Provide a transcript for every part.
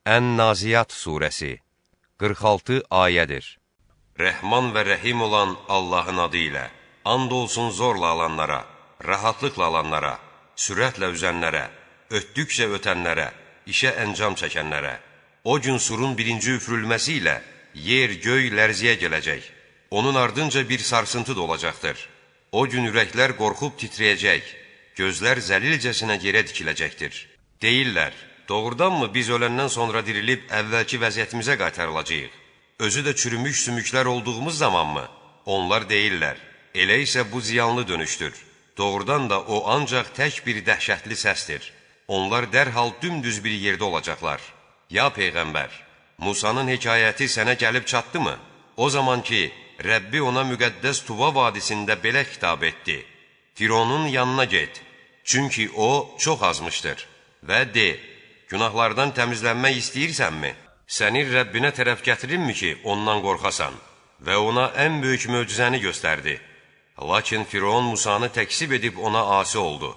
Ən-Naziyat surəsi 46 ayədir. Rəhman və rəhim olan Allahın adı ilə, and olsun zorla alanlara, rahatlıqla alanlara, sürətlə üzənlərə, ötdükcə ötənlərə, işə əncam çəkənlərə. O gün surun birinci üfürülməsi ilə yer, göy lərziyə gələcək. Onun ardınca bir sarsıntı da olacaqdır. O gün ürəklər qorxub titrəyəcək, gözlər zəlilcəsinə yerə dikiləcəkdir. Deyirlər, doğrudanmı biz öləndən sonra dirilib əvvəlki vəziyyətimizə qaytarılacağıq? Özü də çürümüş sümüklər olduğumuz zamanmı? Onlar deyirlər, elə isə bu ziyanlı dönüşdür. Doğrudan da o ancaq tək bir dəhşətli səsdir. Onlar dərhal dümdüz bir yerdə olacaqlar. Ya Peyğəmbər, Musanın hekayəti sənə gəlib çatdı mı? O zaman ki, Rəbbi ona müqəddəs Tuva vadisində belə xitab etdi. Fironun yanına get, çünki o çox azmışdır. Və de, günahlardan təmizlənmək istəyirsənmi? Səni Rəbbinə tərəf gətirimmmi ki, ondan qorxasan? Və ona ən böyük möcüzəni göstərdi. Lakin Firon Musanı təksib edib ona asi oldu.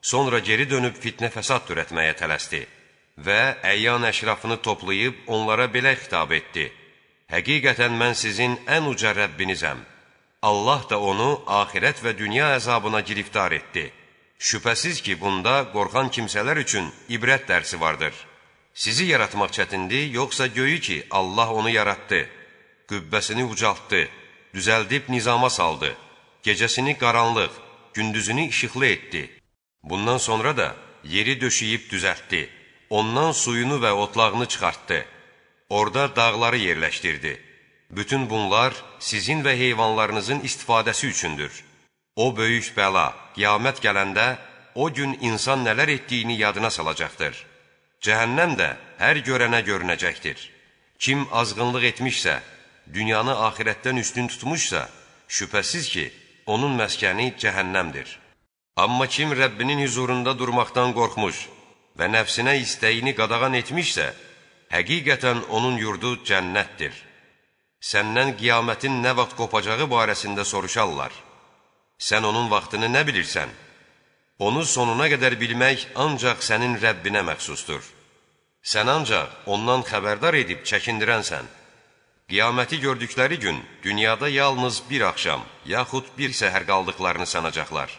Sonra geri dönüb fitnə fəsad törətməyə tələsdi. Və əyyan əşrafını toplayıb onlara belə xitab etdi. Həqiqətən mən sizin ən uca Rəbbinizəm. Allah da onu axirət və dünya əzabına giriftar etdi. Şübhəsiz ki, bunda qorxan kimsələr üçün ibrət dərsi vardır. Sizi yaratmaq çətindir, yoxsa göyü ki, Allah onu yaratdı, qübbəsini ucaltdı, düzəldib nizama saldı, gecəsini qaranlıq, gündüzünü işıqlı etdi. Bundan sonra da yeri döşəyib düzəltdi, ondan suyunu və otlağını çıxartdı, orada dağları yerləşdirdi. Bütün bunlar sizin və heyvanlarınızın istifadəsi üçündür. O böyük bəla, qiyamət gələndə o gün insan nələr etdiyini yadına salacaqdır. Cəhənnəm də hər görənə görünəcəkdir. Kim azğınlıq etmişsə, dünyanı axirətdən üstün tutmuşsa, şübhəsiz ki, onun məskəni cəhənnəmdir. Amma kim Rəbbinin huzurunda durmaqdan qorxmuş və nəfsinə istəyini qadağan etmişsə, həqiqətən onun yurdu cənnətdir. Səndən qiyamətin nə vaxt qopacağı barəsində soruşarlar. Sən onun vaxtını nə bilirsən? Onu sonuna qədər bilmək ancaq sənin Rəbbinə məxsusdur. Sən ancaq ondan xəbərdar edib çəkindirənsən. Qiyaməti gördükləri gün dünyada yalnız bir axşam, yaxud bir səhər qaldıqlarını sanacaqlar.